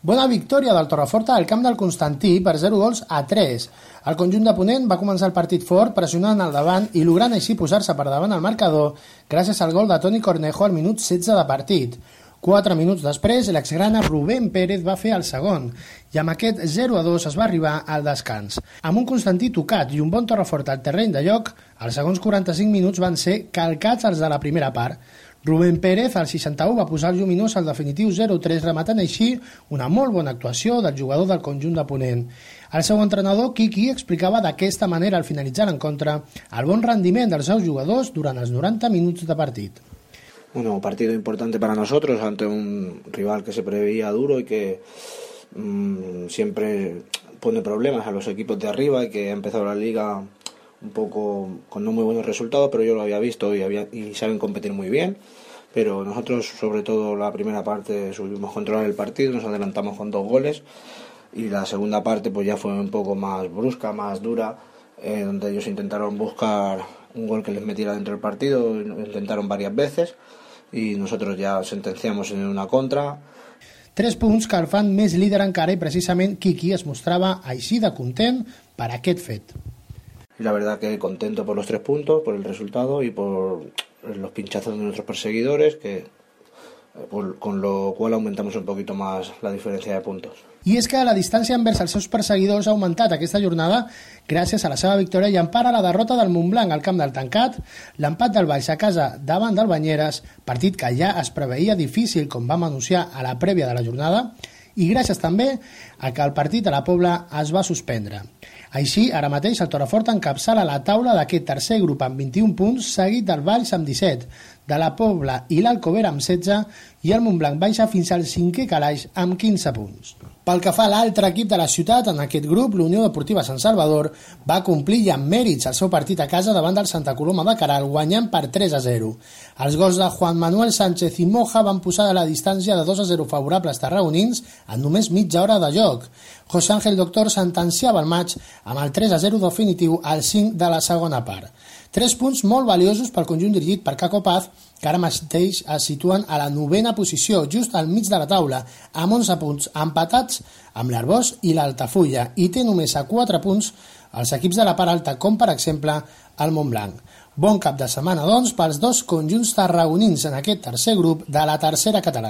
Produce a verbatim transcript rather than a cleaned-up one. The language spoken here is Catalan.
Bona victòria del Torreforta al camp del Constantí per zero gols a tres. El conjunt de Ponent va començar el partit fort, pressionant al davant i logrant així posar-se per davant al marcador gràcies al gol de Toni Cornejo al minut setze de partit. Quatre minuts després, l'exgrana Rubén Pérez va fer el segon i amb aquest zero a dos es va arribar al descans. Amb un Constantí tocat i un bon Torreforta al terreny de joc, els segons quaranta-cinc minuts van ser calcats els de la primera part. Rubén Pérez, al seixanta-u, va posar el lluminós al definitiu zero a tres, rematant així una molt bona actuació del jugador del conjunt de Ponent. El seu entrenador, Quiqui, explicava d'aquesta manera al finalitzar l'encontre el bon rendiment dels seus jugadors durant els noranta minuts de partit. Bueno, un partido importante para nosotros ante un rival que se preveía duro y que mmm, siempre pone problemas a los equipos de arriba y que ha empezado la liga un poco con no muy buenos resultados, pero yo lo había visto y, había, y saben competir muy bien. Pero nosotros, sobre todo la primera parte, supimos controlar el partido, nos adelantamos con dos goles y la segunda parte pues ya fue un poco más brusca, más dura, eh, donde ellos intentaron buscar un gol que les metiera dentro del partido, lo intentaron varias veces i nosotros ja sentenciamos en una contra. Tres punts que el fan més líder encara i precisament Quiqui es mostrava així de content per aquest fet. Y la verdad que contento por los tres puntos, por el resultado y por los pinchazos de nuestros perseguidores, que por, con lo cual aumentamos un poquito más la diferencia de puntos. I és que la distància envers els seus perseguidors ha augmentat aquesta jornada gràcies a la seva victòria i empara la derrota del Montblanc al camp del Tancat, l'empat del Valls a casa davant del Banyeres, partit que ja es preveia difícil com vam anunciar a la prèvia de la jornada, i gràcies també a que el partit a la Pobla es va suspendre. Així, ara mateix el Torreforta encapçala la taula d'aquest tercer grup amb vint-i-un punts, seguit del Valls amb disset, de la Pobla i l'Alcover amb setze i el Montblanc baixa fins al cinquè calaix amb quinze punts. Pel que fa a l'altre equip de la ciutat, en aquest grup, l'Unió Deportiva Sant Salvador va complir i amb mèrits el seu partit a casa davant del Santa Coloma de Queralt, guanyant per tres a zero. Els gols de Juan Manuel Sánchez i Moja van posar a la distància de dos a zero favorables tarragonins en només mitja hora de joc. José Ángel Doctor sentenciava el maig amb el tres a zero definitiu al cinc de la segona part. Tres punts molt valiosos pel conjunt dirigit per Caco Paz, que ara mateix es situen a la novena posició, just al mig de la taula, amb onze punts empatats amb l'Arbós i l'Altafulla, i té només a quatre punts els equips de la part alta, com per exemple el Montblanc. Bon cap de setmana, doncs, pels dos conjunts tarragonins en aquest tercer grup de la tercera catalana.